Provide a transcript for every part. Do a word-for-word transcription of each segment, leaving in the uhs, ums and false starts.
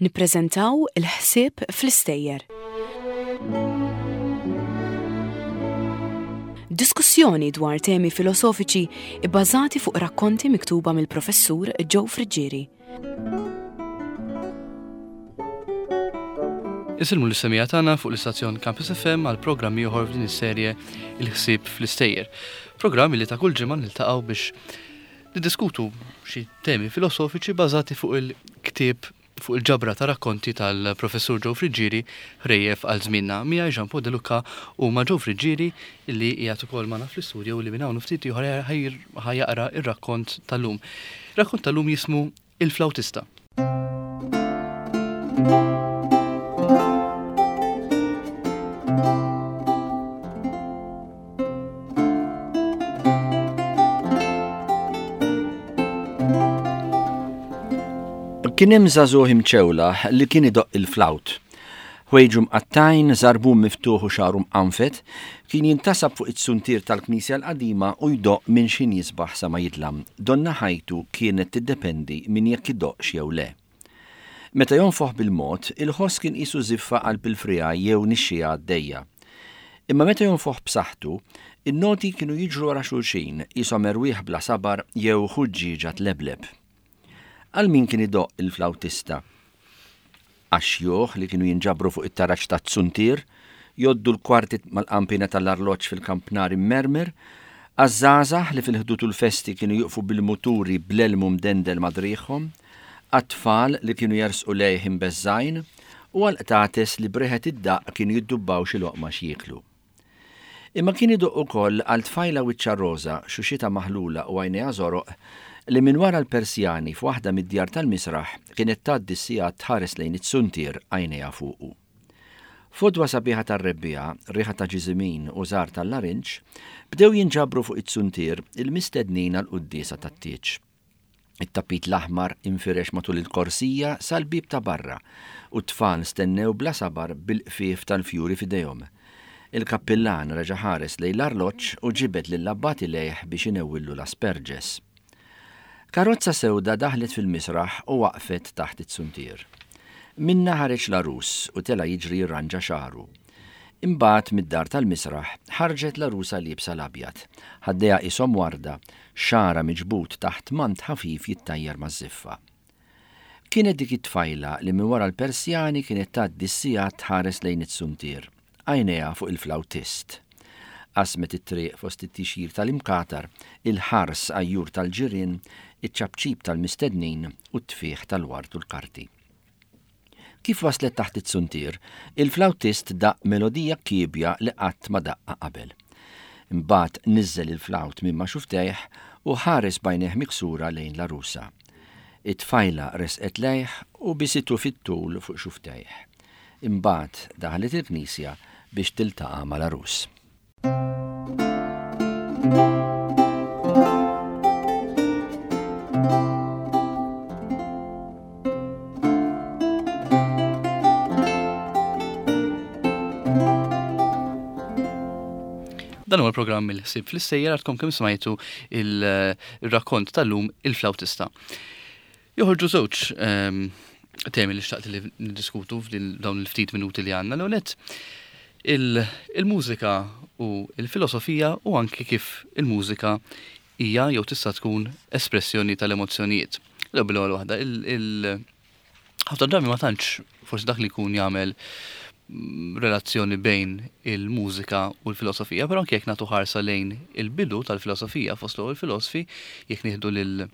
Nippreżentaw il-ħsieb fl-istejjer. Diskussjoni dwar temi filosofiċi ibbażati fuq rakkonti miktuba mill-professur Joe Friggieri. Isilmu l-semija tagħna fuq l-istazzjon Campus F M għal programm ieħor f'din is-serje Il-ħsieb fl-istejjer. Programm li ta' kull ġimgħa niltaqgħu biex niddiskutu xi temi filosofiċi bażati fuq il-ktieb fuq il-ġabra ta' rakkonti tal-professur Joe Friggieri ħrejjef għal żmienna. Miegħi Jean Paul De Luca u ma' Joe Friggieri illi qiegħed ukoll magħna fl-istudio li minn hawn ftit ieħor ħajjaqra ir-rakkont tal-lum. Ir-rakkont tal-lum jismu Il-Flawtista. Kien hemm żagħżugħ imċewlaħ li kien idoqq il-flawt. Ħwejġu mqattajn, żarbun miftuħ u xagħru mqanfet, kien jintasab fuq it-suntier tal-knisja l-qadima u jdoqq minn x'ħin jisbaħ sa ma jidlam. Donna ħajtu kienet tiddependi minn jekk idoqqx jew le. Meta jonfoħ bil-mod, il-ħoss kien qisu żiffa qalb il-friegħa jew nixxija għaddejja. Imma meta jonfoħ b'saħħtu, in-noti kienu jiġru wara xulxin, qishom erwieħ bla sabar jew ħuġġieġa tlebleb. Għal min kien idoqq il-flawtista? Għax-xjuħ li kienu jinġabru fuq it-taraġ tat-suntier, joddu l-kwarti mal-qampina tal-arloġġ fil-kampnar immermer, għaż-żgħażagħ li fil-ħdud u l-festi kienu juqfu bil-muturi bl-elmu mdendel madriħhom, għat-tfal li kienu jersqu lejh imbeżżajn, u għall-qtates li breħet id-daqq kienu jiddubbaw xi loqma x'jieklu. Imma kien idoqq ukoll għal tfajla wiċċa roża, xuxita maħlula u għajnejha żoroq, li minn wara l-Persjani f'waħda mid-djar tal-misraħ kienet tgħaddi s-sigħat tħares lejn it-suntier għajnejha fuqu. Fodwa sabiħa tar-rebbiegħa, riħa ta' ġiżimin u żgħar tal-larinġ, bdew jinġabru fuq it-suntier il-mistednin għall-quddiesa tat-tieġ. It-tapit l-aħmar infirex matul il-korsija sal-bieb ta' barra u t-tfal stennew bla sabar bil-qfief tal-fjuri f'idejhom. Il-kappillan reġa' ħares lejn l-arloġġ u ġibed lill-abbati lejh biex inewwillu l-asperġes. Karozza sewda daħlet fil-misraħ u waqfet taħt it-suntier. Minna ħareġ l-għarus u tela jiġri jirranġa xagħru. Imbagħad mid-dar tal-misraħ ħarġet l-għarusa liebsa l-abjad, ħaddejha qishom warda, xagħarha miġbud taħt mant ħafif jittajjar maż-żiffa. Kienet dik it-tfajla li minn wara l-Persjani kienet tgħaddi s-sigħat tħares lejn it-suntier, għajnejha fuq il-flawtist. Qasmet it-triq fost it-tixjir tal-imkatar, il-ħars għajjur tal-ġirien, iċ-ċapċip tal-mistednin u t-tfieħ tal-ward u l-karti. Kif waslet taħt it-suntier, il-flawtist daq melodija kiebja li qatt ma daqqa qabel. Imbagħad niżel il-flawt minn ma xuftejh u ħares b'għajnejh miksura lejn l-għarusa. It-tfajla resqet lejh u bisitu fit-tul fuq xuftejh. Imbagħad daħlet il-knisja biex tiltaqa' mal-għarus. Dan huwa l-programm Il-ħsieb fl-istejjer għadkom kemm smajtu il-rakkont tal-lum Il-Flawtista. Joħorġu żewġ, ehm, temi li xtaqt li niddiskutu f'din dawn il-ftit minuti li għandna. L-ewwel nett, il-, il-mużika u l-filosofija u anki kif il-mużika hija jew tista' tkun espressjoni tal-emozzjonijiet. L-ewwel ewwel waħda, il-, il-, ħafna drabi ma tantx forsi dak li jkun jagħmel relazzjoni bejn il-mużika u l-filosofija, però anke jekk nagħtu ħarsa lejn il-bidu tal-filosofija fost l-ewwel filosofi, jekk nieħdu lil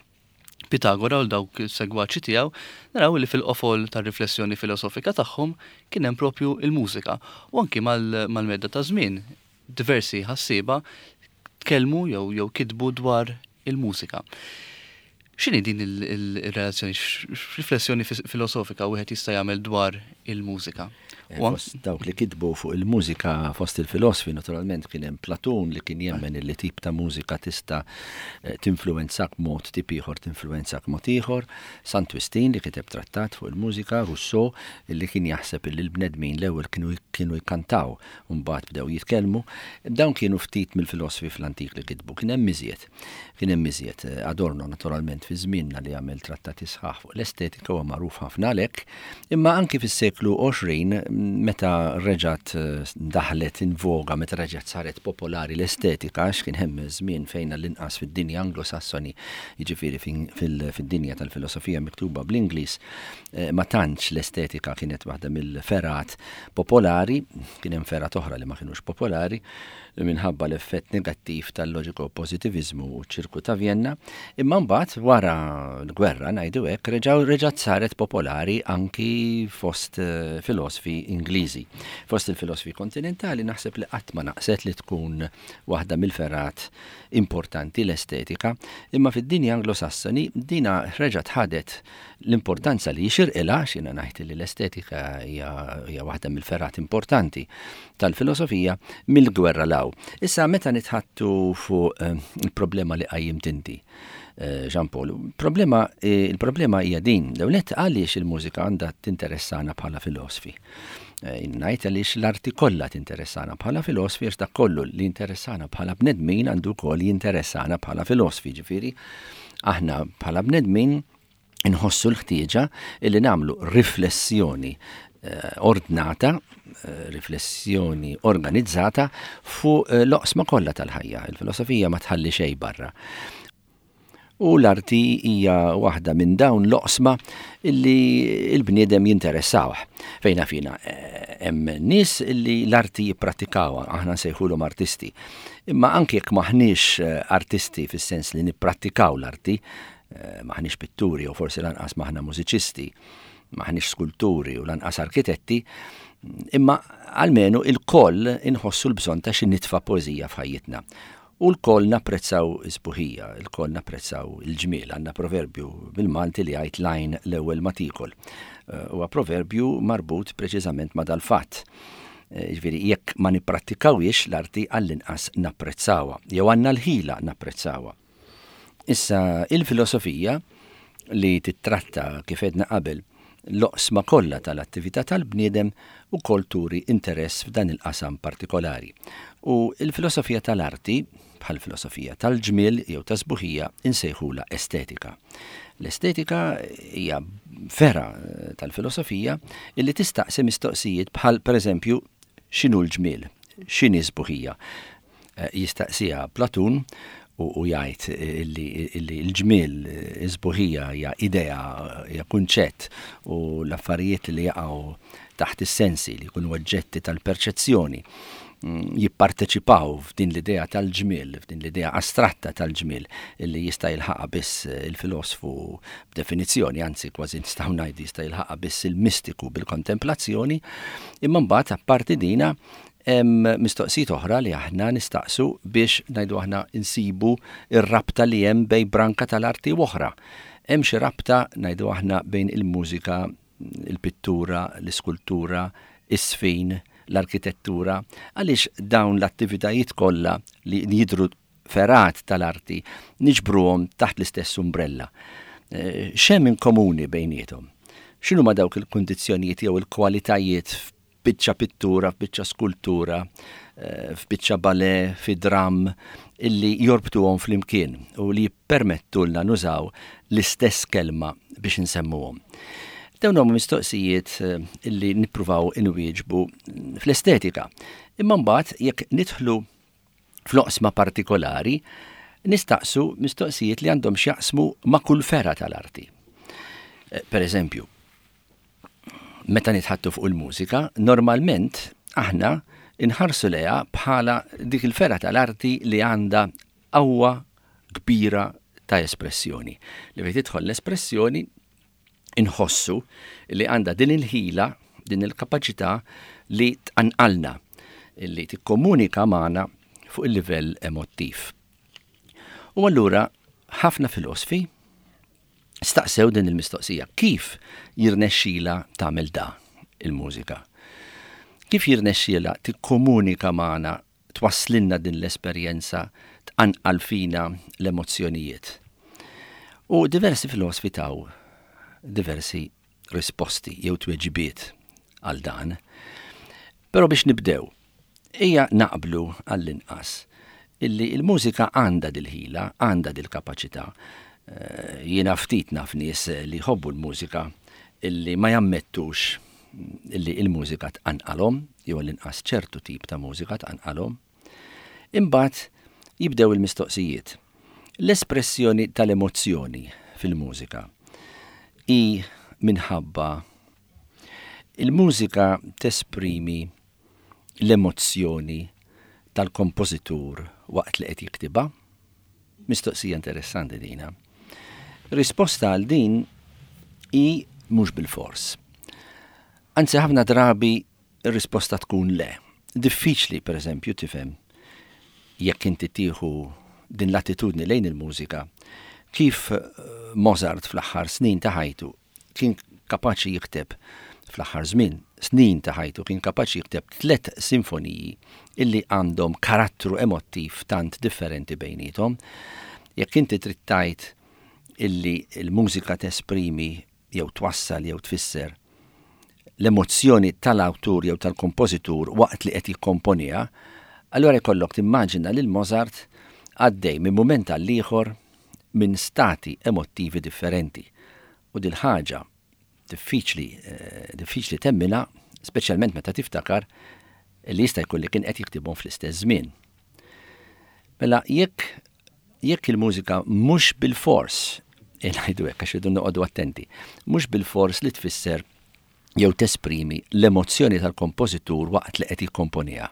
Pitagora u dawk is-segwaċi tiegħu, naraw li fil-qofol tar-riflessjoni filosofika tagħhom kien hemm propju il-mużika. U anki mal-, mal-medda ta' żmien diversi ħassieba tkellmu jew, jew kitbu dwar il-mużika. X'inhi din il-, il-, il-relazzjoni, x'riflessjoni fis-, filosofika wieħed jista' jagħmel dwar il-mużika? Fost dawk li kitbu fuq il-mużika fost il-filosfi, naturalment kien hemm Platun li kien jemmen li tip ta' mużika tista' tinfluwenzak mod tip ieħor, tinfluwenzak mod ieħor, Sant Wistin li kiteb trattat fuq il-mużika, Rousseau li kien jaħseb li l-bnedmin l-ewwel kienu kienu jkantaw u mbagħad bdew jitkellmu. Dawn kienu ftit mill-filosfi fl-antik li kitbu. Kien hemm iżjed. Kien hemm iżjed. Adorno naturalment fi żmienna li għamel trattati sħaħ fuq l-estetika huwa magħruf ħafna għalhekk, imma anki fis-seklu għoxrin meta reġgħet daħlet in voga, meta reġgħet saret popolari l-estetika, għax kien hemm żmien fejn l-inqas fid-dinja Anglosassoni, jiġifieri fid-dinja tal-filosofija miktuba bl-Ingliż, ma tantx l-estetika kienet waħda mill-ferat popolari, kien hemm ferat oħra li ma kinux popolari minħabba l-effett negattiv tal-loġiko pożitiviżmu u ċ-ċirku ta' Vienna, imma mbagħad wara l-gwerra ngħidu hekk reġgħu reġgħet saret popolari anki fost filosfi Ingliżi. Fost il-filosfi kontinentali naħseb li qatt ma naqset li tkun waħda mill-ferat importanti l-estetika, imma fid-dinja Anglosassoni dina reġgħet ħadet l-importanza li jixirqilha, x'jiena ngħid li l-estetika hija waħda mill-ferat importanti tal-filosofija mill-gwerra law. Issa meta nitħattu fuq il-problema li qajjimt inti, Jean Paul, problema, il-problema hija din, l-ewwel għaliex il-mużika għandha tinteressana bħala filosfi. Ngħid għaliex l-arti kollha tinteressana bħala filosfi, għax dak kollu li interessana bħala bnedmin għandu wkoll jinteressana bħala filosfi, ġifieri aħna bħala bnedmin inħossu l-ħtieġa illi nagħmlu riflessjoni ordnata, riflessjoni organizzata fuq l-oqsma kollha tal-ħajja. Il-filosofija ma tħalli xejn barra. U l-arti hija waħda minn dawn l-oqsma illi l-bniedem jinteressawh. Fejna fina hemm nies illi l-arti jipprattikawha, aħna nsejħulhom artisti. Imma anke jekk maħniex artisti fis-sens li nipprattikaw l-arti, maħniex pitturi u forsi lanqas maħna mużiċisti, maħniex skulturi u lanqas arkitetti, imma almenu il-koll inħossu l-bżonn ta' xi nitfa' poeżija f'ħajjitna. U l-koll napprezzaw is-sbuħija, il-koll napprezzaw il-ġmiel. Għandna proverbju bil-Malti li jgħid lajn l-ewwel ma tiekol. Huwa proverbju marbut preċiżament ma' dal-fatt. Ġifieri jekk ma nipprattikawhiex l-arti għall-inqas napprezzawha, jew għandna l-ħila napprezzawha. Issa il-filosofija li titratta kif għedna qabel l-oqsma kollha tal-attività tal-bniedem ukoll turi interess f'dan il-qasam partikolari. U il-filosofija tal-arti, bħal filosofija tal-ġmiel jew ta' sbuħija, insejħula estetika. L-estetika hija vera tal-filosofija illi tistaqsi mistoqsijiet bħal pereżempju x'inhu l-ġmiel, x'inhi sbuħija. Jistaqsiha Platun u jgħid illi l-ġmiel is-sbuħija hija idea, hija kunċett, u l-affarijiet li jaqgħu taħt is-sensi li jkunu oġġetti tal-perċezzjoni jipparteċipaw f'din l-idea tal-ġmiel, f'din l-idea astratta tal-ġmiel illi jista' jilħaqha biss il-filosfu b'definizzjoni, anzi kważi nistgħu ngħidu jista' jilħaqha biss il-mistiku bil-kontemplazzjoni, imma mbagħad apparti dina hemm mistoqsijiet oħra li aħna nistaqsu biex ngħidu aħna insibu r-rabta li hemm bejn branka tal-arti u oħra. Hemm xi rabta ngħidu aħna bejn il-mużika, il-pittura, l-iskultura, is-sfin, l-arkitettura, għaliex dawn l-attivitajiet kollha li jidhru ferat tal-arti niġbruhom taħt l-istess umbrella. X'hemm in komuni bejniethom? X'inhuma dawk il-kundizzjonijiet jew il-kwalitajiet f'biċċa pittura, f'biċċa skultura, f'biċċa ballet, fi dram, illi jorbtuhom flimkien u li jippermettulna nużaw l-istess kelma biex insemmuhom. Dawn huma mistoqsijiet illi nippruvaw inwieġbu fl-estetika. Imma mbagħad jekk nidħlu fl-oqsma partikolari, nistaqsu mistoqsijiet li għandhom x'jaqsmu ma' kull fera tal-arti. Per eżempju, meta nitħattu fuq il-mużika, normalment aħna inħarsu lejha bħala dik il-fera tal-arti li għandha qawwa kbira ta' espressjoni. Li fejn tidħol l-espressjoni inħossu li għandha din il-ħila, din il-kapaċità li tqanqalna, li tikkomunika magħna fuq il-livell emottiv. U allura ħafna filosfi staqsew din il-mistoqsija, kif jirnexxila tagħmel da il-mużika? Kif jirnexxielha tikkomunika magħna, twasslilna din l-esperjenza, tqanqal fina l-emozzjonijiet? U diversi filosofi taw diversi risposti jew tweġibiet għal dan. Però biex nibdew, ejja naqblu għall-inqas illi il-mużika għandha dil-ħila, għandha dil-kapaċità. Eh, jiena ftit naf nies li jħobbu l-mużika illi ma jammettux illi il-mużika tqanqalhom, jew l-inqas ċertu tip ta' mużika tqanqalhom. Imbagħad jibdew il-mistoqsijiet. L-espressjoni tal-emozzjoni fil-mużika hi minħabba il-mużika tesprimi l-emozzjoni tal-kompożitur waqt li qed jiktibha? Mistoqsija interessanti dina. Risposta għal din hi mhux bilfors. Anzi, ħafna drabi ir-risposta tkun le. Diffiċli, per eżempju, tifhem jekk inti tieħu din l-attitudni lejn il-mużika, kif eh, Mozart fl-aħħar snin ta' ħajtu kien kapaċi jikteb, fl-aħħar żmien snin ta' ħajtu kien kapaċi jikteb tliet sinfoniji illi għandhom karattru emottiv tant differenti bejnietom. Jekk inti trid tgħid illi l-mużika tesprimi jew twassal jew tfisser l-emozzjoni tal-awtur jew tal-kompożitur waqt li qed jikkomponiha, allura jkollok timmaġina lil Mozart għaddej minn mument għal ieħor minn stati emottivi differenti. U dil-ħaġa diffiċli eh, diffiċli temmina, speċjalment meta tiftakar li jista' jkun li kien qed jiktibhom fl-istess żmien. Mela jekk jekk il-mużika mhux bilfors, ngħidu hekk għax irridu noqogħdu attenti, mhux bilfors li tfisser jew tesprimi l-emozzjoni tal-kompożitur waqt li qed jikkomponiha.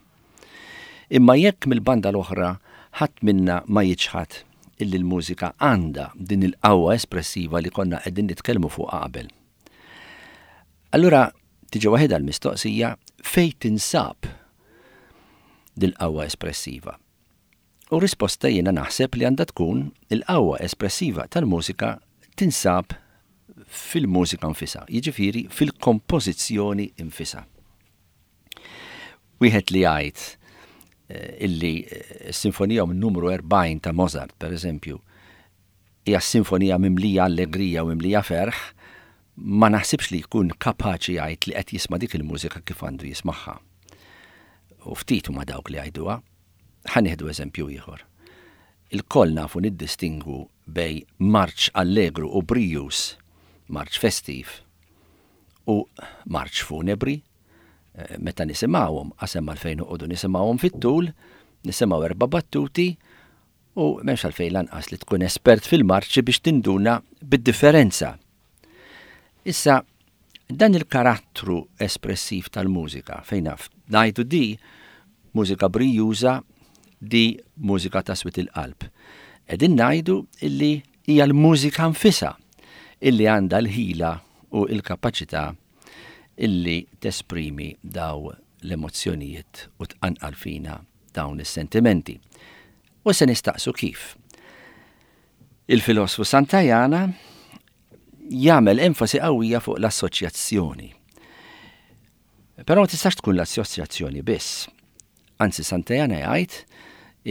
Imma jekk mill-banda l-oħra ħadd minna ma jiċħad illi l-mużika għandha din il-qawwa espressiva li konna qegħdin nitkellmu fuq qabel. Allura tiġi waħedha l-mistoqsija fejn tinsab dil-qawwa espressiva. U risposta jiena naħseb li għandha tkun il-qawwa espressiva tal-mużika tinsab fil-mużika nfisha, jiġifieri fil-kompożizzjoni nfisha. Wieħed li jgħid eh, illi eh, s-sinfonija numru erbgħin ta' Mozart, per eżempju, hija sinfonija mimlija allegrija u mimlija ferħ, ma naħsibx li jkun kapaċi jgħid li qed jisma' dik il-mużika kif għandu jismagħha. U ftit huma dawk li jgħiduha. Ħa nieħdu eżempju ieħor. Ilkoll nafu niddistingwu bejn marċ allegru u brijuż, marċ festiv u marċ funebri. Eh, meta nisimgħuhom, qasem għalfejn noqogħdu nisimgħuhom fit-tul, nisimgħu erba' battuti u m'hemmx għalfejn lanqas li tkun espert fil-marċi biex tinduna bid-differenza. Issa, dan il-karattru espressiv tal-mużika, fejn naf, ngħidu di mużika brijuża, di mużika ta' swit il-qalb. Qegħdin ngħidu illi hija l-mużika nfisha illi għandha l-ħila u l-kapaċità illi tesprimi daw l-emozzjonijiet u tqanqal fina dawn is-sentimenti. U se nistaqsu kif. Il-filosfu Santayana jagħmel enfasi qawwija fuq l-assoċjazzjoni. Però ma tistax tkun l-assoċjazzjoni biss. Anzi, Santayana jgħid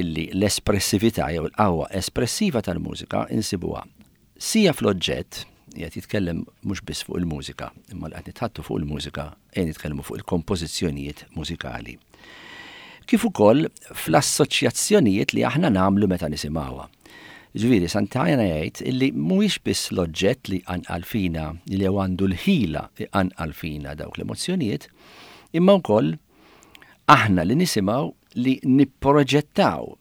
illi l-espressività jew l-qawwa espressiva tal-mużika insibuha sija fl-oġġett, qed jitkellem mhux biss fuq il-mużika, imma li qed nitħattu fuq il-mużika qed nitkellmu fuq il-kompożizzjonijiet mużikali. Kif ukoll fl-assoċjazzjonijiet li aħna nagħmlu meta nisimgħuha. Ġifieri Santayana jgħid illi mhuwiex biss l-oġġett li jqanqal fina li għandu l-ħila jqanqal fina dawk l-emozzjonijiet, imma wkoll aħna li nisimgħu li nipproġettaw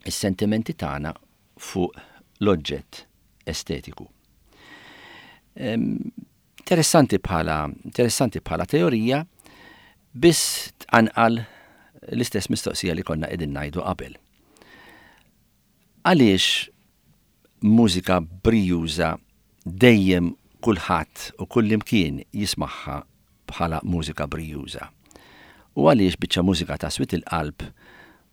is-sentimenti tagħna fuq l-oġġett estetiku. Interessanti bħala, interessanti bħala teorija, biss tqanqal l-istess mistoqsija li konna qegħdin ngħidu qabel. Għaliex mużika brijuża dejjem kulħadd u kullimkien jismagħha bħala mużika brijuża? U għaliex biċċa mużika ta' swit il-qalb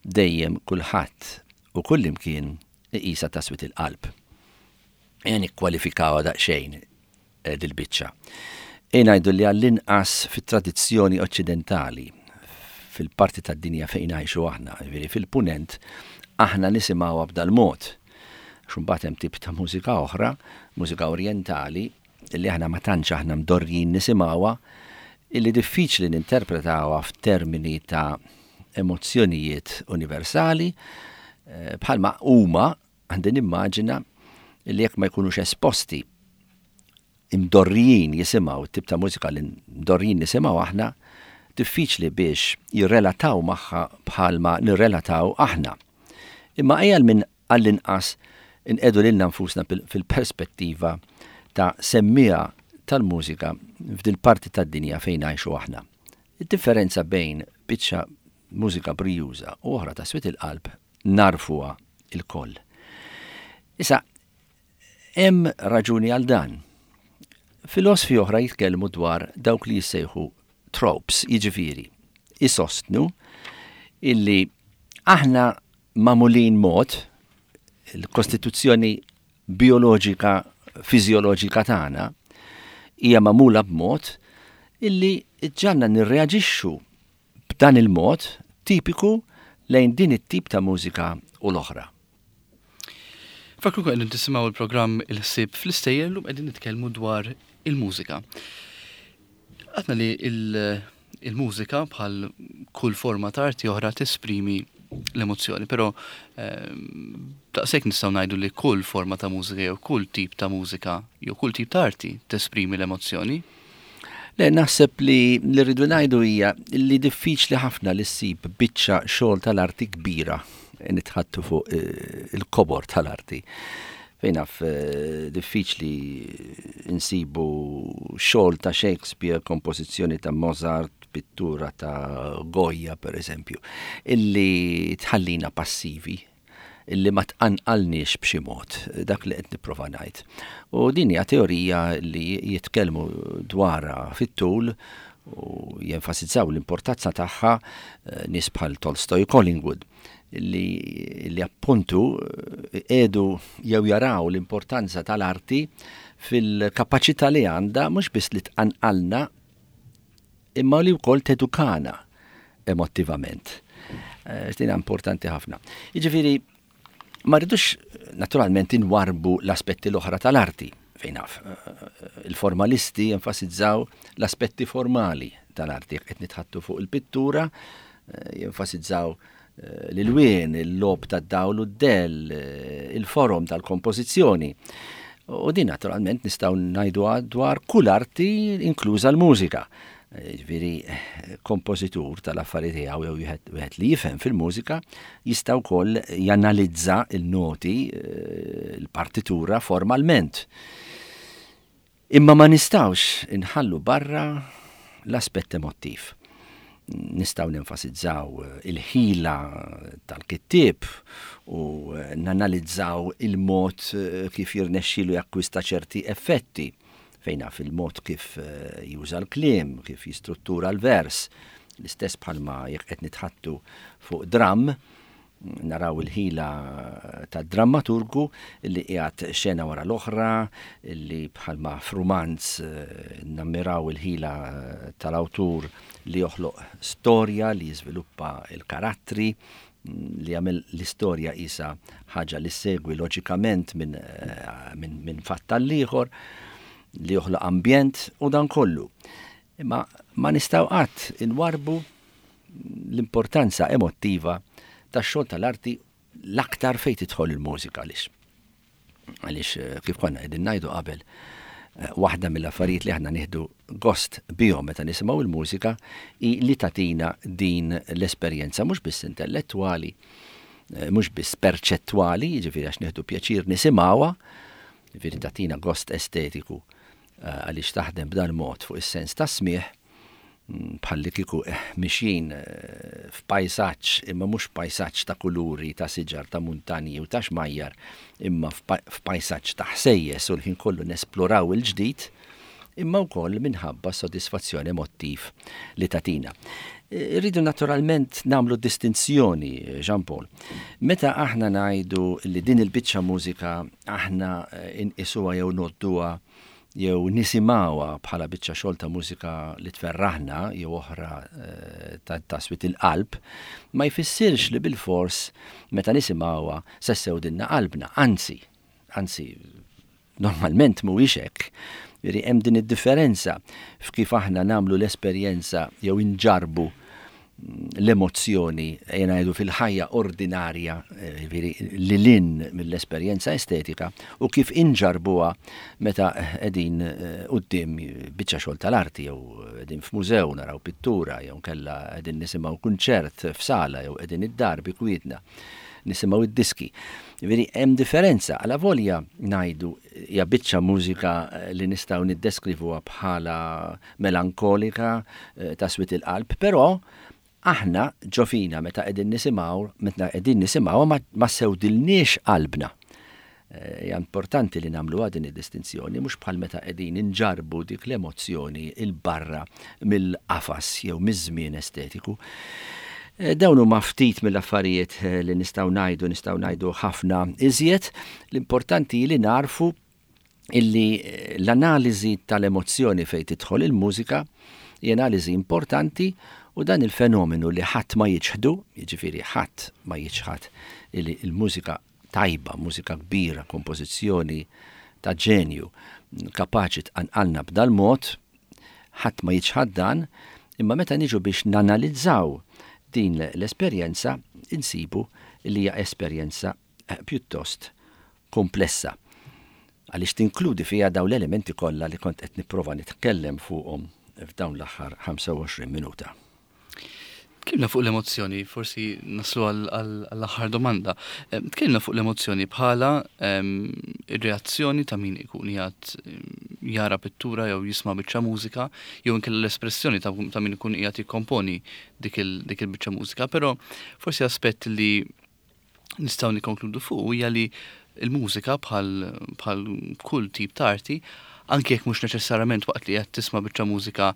dejjem kulħadd u kullimkien iqisha ta' swit il-qalb? Ejja nikkwalifikawha daqsxejn eh, dil-biċċa. Ejja ngħidu li għall-inqas fit-tradizzjoni oċċidentali, fil-parti tad-dinja fejn ngħixu aħna, jiġifieri fil-punent, aħna nisimgħuha b'dal-mod. Xumbat hemm tip ta' mużika oħra, mużika orjentali, illi aħna ma tantx aħna mdorrijin nisimgħuha, illi diffiċli ninterpretawha f'termini ta' emozzjonijiet universali, eh, bħalma huma għandi nimmaġina li jekk ma jkunux esposti imdorrijin jisimgħu tip ta' mużika li mdorrijin nisimgħu aħna, diffiċli biex jirrelataw magħha bħalma nirrelataw aħna. Imma ejja minn għall-inqas inqiegħdu lilna nfusna fil-perspettiva ta' semmiegħa tal-mużika f'dil parti tad-dinja fejn ngħixu aħna. Id-differenza bejn biċċa mużika brijuża u oħra ta' swied il-qalb nafuha lkoll. Issa, hemm raġuni għal dan. Filosfi oħra jitkellmu dwar dawk li jissejħu tropes, jiġifieri, isostnu illi aħna magħmulin mod, il-kostituzzjoni bioloġika, fiżjoloġika tagħna hija magħmula b'mod illi ġġagħalna nirreaġixxu b'dan il-mod tipiku lejn din it-tip ta' mużika u l-oħra. Fakru qegħdin tisimgħu il-programm Il-Ħsieb fl-Istejjer, llum qegħdin nitkellmu dwar il-mużika. Għedna li il-mużika bħal kull forma ta' arti oħra tesprimi l-emozzjoni, però ehm, daqshekk nistgħu ngħidu li kull forma ta' mużika jew kull tip ta' mużika jew kull tip ta' arti tesprimi l-emozzjoni? Le, naħseb li li rridu ngħidu hija li diffiċli ħafna li ssib biċċa xogħol tal-arti kbira, nitħaddtu fuq eh, il-kobor tal-arti. Fejn naf eh, diffiċli nsibu xogħol ta' Shakespeare, kompożizzjoni ta' Mozart, pittura ta' Goya, per eżempju, illi tħallina passivi, illi ma tqanqalniex b'xi mod, dak li qed nipprova ngħid. U din hija teorija li jitkellmu dwarha fit-tul u jenfasizzaw l-importanza tagħha eh, nies bħal Tolstoy, Collingwood, li, li appuntu qiegħdu jew jaraw l-importanza tal-arti fil-kapaċità li għandha mhux biss li tqanqalna imma li wkoll tedukana emotivament. Eh, din importanti ħafna. Jiġifieri ma rridux naturalment inwarbu l-aspetti l-oħra tal-arti, fejn naf. Eh, il-formalisti jenfasizzaw l-aspetti formali tal-arti, qed nitħaddtu fuq il-pittura, eh, jenfasizzaw l-ilwien, il-logħob tad-dawl u d-dell, il-forom tal-kompożizzjoni. U din naturalment nistgħu ngħidu dwar kull arti, inkluża l-mużika. Ġifieri, kompożitur tal-affarijiet tiegħu jew wieħed li jifhem fil-mużika jista' wkoll janalizza il-noti, eh, il-partitura formalment. Imma ma nistgħux inħallu barra l-aspett emotiv. Nistgħu nenfasizzaw il-ħila tal-kittieb u nanalizzaw il-mod kif jirnexxilu jakkwista ċerti effetti, fejn naf il-mod kif eh, juża l-kliem, kif jistruttura l-vers, l-istess bħalma jekk qed nitħaddtu fuq dram, naraw il-ħila ta' drammaturgu li qiegħed xena wara l-oħra, li bħalma f'rumanz eh, nammiraw il-ħila tal-awtur li joħloq storja, li jiżviluppa il-karattri, li jagħmel l-istorja isa ħaġa li segwi loġikament minn eh, min, min fatt għall-ieħor, li joħloq ambjent u dan kollu. Imma ma nistgħu qatt inwarbu l-importanza emottiva tax-xogħol tal-arti, l-aktar fejn tidħol il-mużika, għaliex. Għaliex eh, kif konna qegħdin ngħidu qabel, eh, waħda mill-affarijiet li aħna nieħdu gost bihom meta nisimgħu il-mużika hi li tagħtina din l-esperjenza mhux biss intellettwali, eh, mhux biss perċettwali, jiġifieri għax nieħdu pjaċir nisimgħuha, jiġifieri tagħtina gost estetiku għaliex taħdem b'dan mod fuq is-sens ta' smigħ, mm, bħalli kieku eh, mixjin eh, f'pajsaġġ, imma mhux pajsaġġ ta' kuluri, ta' siġar, ta' muntanji u ta' xmajjar, imma f'pajsaġġ ta' ħsejjes u l-ħin kollu nesploraw il-ġdid, imma wkoll minħabba sodisfazzjoni emotiv li tagħtina. Irridu naturalment nagħmlu distinzjoni, Jean Paul. Meta aħna ngħidu li din il-biċċa mużika aħna eh, inqisuha jew ngħodduha jew nisimgħuha bħala biċċa xogħol ta' mużika li tferraħna jew oħra eh, ta' ta' il-qalb, ma jfissirx li bilfors meta nisimgħuha se ssewdilna qalbna, anzi, anzi, normalment mhuwiex hekk. Jiġifieri hemm din id-differenza f'kif aħna nagħmlu l-esperjenza jew inġarbu l-emozzjoni, jena ngħidu, fil-ħajja ordinarja, eh, jiġifieri lil hinn mill-esperjenza estetika, u kif inġarbuha meta qegħdin eh, quddiem biċċa xogħol tal-arti jew qegħdin f'mużew naraw pittura jew kella qegħdin nisimgħu kunċert f'sala jew qegħdin id-dar bi kwietna nisimgħu id-diski. Jiġifieri hemm differenza, għala volja ngħidu hija biċċa mużika eh, li nistgħu niddeskrivuha bħala melankolika, ta' swied il-qalb, però aħna ġo fina meta qegħdin nisimgħu, meta qegħdin nisimgħu ma, ma sewdilniex qalbna. Eh, hija importanti li nagħmlu din id-distinzjoni, mhux bħal meta qegħdin inġarbu dik l-emozzjoni 'il barra mill-qafas jew miż-żmien estetiku. Eh, dawn huma ftit mill-affarijiet eh, li nistgħu ngħidu, nistgħu ngħidu ħafna iżjed. L-importanti li narfu illi l-analiżi tal-emozzjoni fejn tidħol il-mużika hija analiżi importanti u dan il-fenomenu li ħadd ma jiċħdu, jiġifieri ħadd ma jiċħad illi il-mużika tajba, mużika kbira, kompożizzjoni ta' ġenju, kapaċi tqanqalna b'dal mod, ħadd ma jiċħad dan, imma meta niġu biex nanalizzaw din l-esperjenza, insibu li hija esperjenza eh, pjuttost komplessa, għaliex tinkludi fiha dawn l-elementi kollha li kont qed nipprova nitkellem fuqhom f'dawn l-aħħar ħamsa u għoxrin minuta. Tkellimna fuq l-emozzjoni, forsi naslu għall-aħħar domanda. Tkellimna fuq l-emozzjoni bħala ir-reazzjoni ta' min ikun qiegħed jara pittura jew jisma' biċċa mużika, jew inkella l-espressjoni ta' min ikun qiegħed jikkomponi dik il-biċċa mużika, però forsi aspett li nistgħu nikkonkludu fuq hija li l-mużika, bħal kull tip ta' arti, anke jekk mhux neċessarjament waqt li qed tisma' biċċa mużika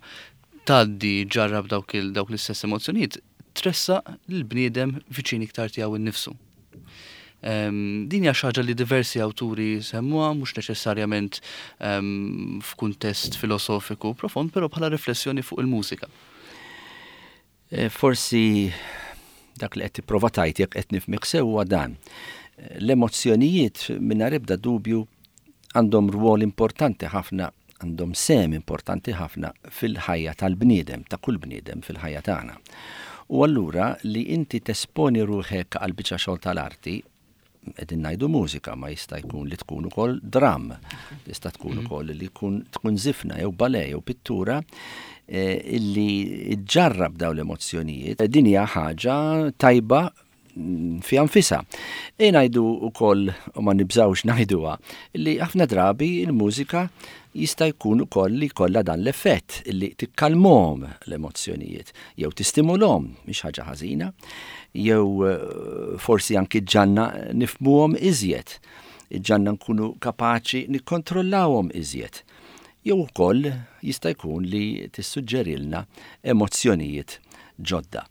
tgħaddi ġarrab dawk dawk l-istess emozzjonijiet, tressaq l-bniedem viċin iktar tiegħu innifsu. Din hija xi ħaġa li diversi awturi semmuha, mhux neċessarjament f'kuntest filosofiku profond, però bħala riflessjoni fuq il-mużika. Eh, forsi dak li qed tipprova tgħid, jekk qed nifhmek sewwa, dan. L-emozzjonijiet mingħajr ebda dubju għandhom rwol importanti ħafna, għandhom sehem importanti ħafna fil-ħajja tal-bniedem, ta' kull bniedem, fil-ħajja tagħna. U allura li inti tesponi ruħek għal biċċa xogħol tal-arti, qegħdin ngħidu mużika, ma jista' jkun li tkun ukoll dram, tista' tkun mhm. ukoll li tkun tkun żifna jew ballet jew pittura eh, illi ġġarrab dawn l-emozzjonijiet. Din hija ħaġa tajba fiha nfisha. E ngħidu wkoll, u ma nibżawx ngħiduha, li ħafna drabi il-mużika jista' jkun ukoll li jkollha dan l-effett li tikkalmhom l-emozzjonijiet jew tistimulhom, mhix ħaġa ħażina, jew eh, forsi anki ġġagħalna nifhmuhom iżjed, ġġagħalna nkunu kapaċi nikkontrollawhom iżjed. Jew ukoll jista' jkun li tissuġġerilna emozzjonijiet ġodda.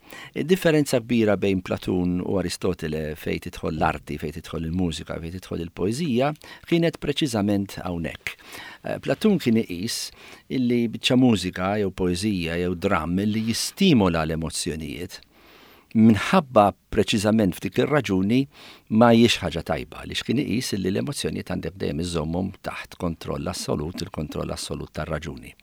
Differenza kbira bejn Platun u Aristotele fejn tidħol l-arti, fejn tidħol il-mużika, fejn tidħol il-poeżija, kienet preċiżament hawnhekk. Eh, Platun kien iqis illi biċċa mużika jew poeżija jew dram li jistimola l-emozzjonijiet, minħabba preċiżament f'dik ir-raġuni ma hijiex ħaġa tajba, li kien iqis li l-emozzjonijiet għandek dejjem iżommhom taħt kontroll assolut, il-kontroll assolut tar-raġuni.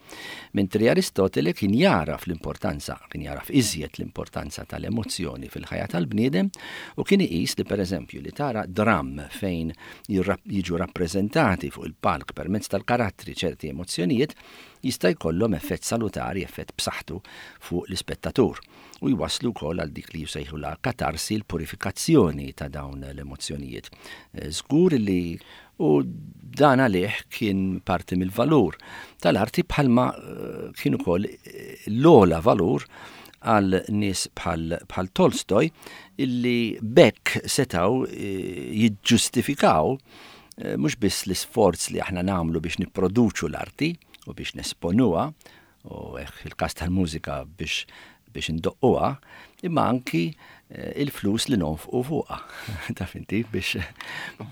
Mentri Aristotele kien jaraf l-importanza, kien jaraf iżjed l-importanza tal-emozzjoni fil-ħajja tal-bniedem u kien iqis li, pereżempju, li tara dram fejn jiġu rappreżentati fuq il-palk permezz tal-karattri ċerti emozzjonijiet jista' jkollhom effett salutari, effett b'saħħtu fuq l-ispettatur u jwaslu wkoll għal dik li jsejħu la katarsi, l-purifikazzjoni ta' dawn l-emozzjonijiet. Eh, żgur li u dan għalih kien parti mill-valur tal-arti, bħalma eh, kien ukoll eh, l-ogħla valur għal nies bħal, bħal Tolstoj, illi bekk setaw jiġġustifikaw mhux biss l-isforz li aħna nagħmlu biex nipproduċu l-arti u biex nesponuha u fil-każ tal-mużika biex biex indoqquha, imma anki eh, il-flus li nonfqu fuqha. Taf inti, biex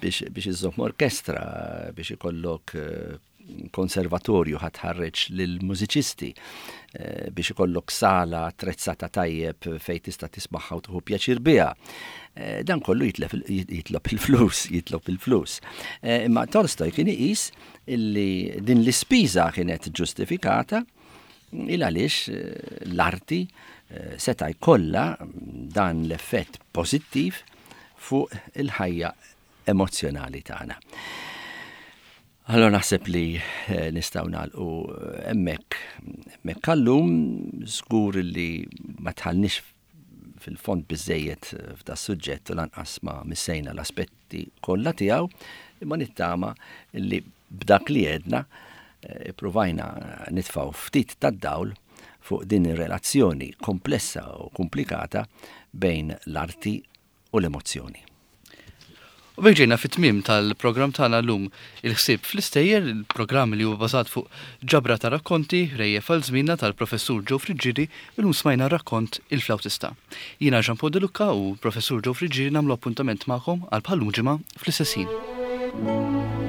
biex biex iżomm orkestra, biex ikollok eh, Konservatorju ħa tħarreġ lill-mużiċisti, eh, biex ikollok sala attrezzata tajjeb fejn tista' tismagħha u tieħu pjaċir biha. Eh, dan kollu jitlob il-flus, jitlob il-flus. Eh, imma Tolstoj kien iqis illi din l-ispiża kienet ġustifikata il għaliex l-arti seta' jkollha dan l-effett pożittiv fuq il-ħajja emozzjonali tagħna. Allora naħseb li eh, nistgħu nagħlqu eh, hemmhekk hemmhekk għal-lum. Żgur li ma dħalniex fil-fond biżejjed eh, f'da suġġett u lanqas ma missejna l-aspetti kollha tiegħu, imma nittama li b'dak li għedna ippruvajna nitfgħu ftit tad-dawl fuq din ir-relazzjoni komplessa u komplikata bejn l-arti u l-emozzjoni. U b'hekk ġejna fit-tmiem tal-programm tagħna llum, Il-Ħsieb fl-Istejjer, il-programm li huwa bażat fuq ġabra ta' rakkonti Ħrejjef għal Żmienna tal-Professur Joe Friggieri. Illum smajna rakkont Il-Flawtista. Jiena Jean Paul De Lucca u Professur Joe Friggieri nagħmlu appuntament magħkom għal bħal-lum ġimgħa fl-istess ħin.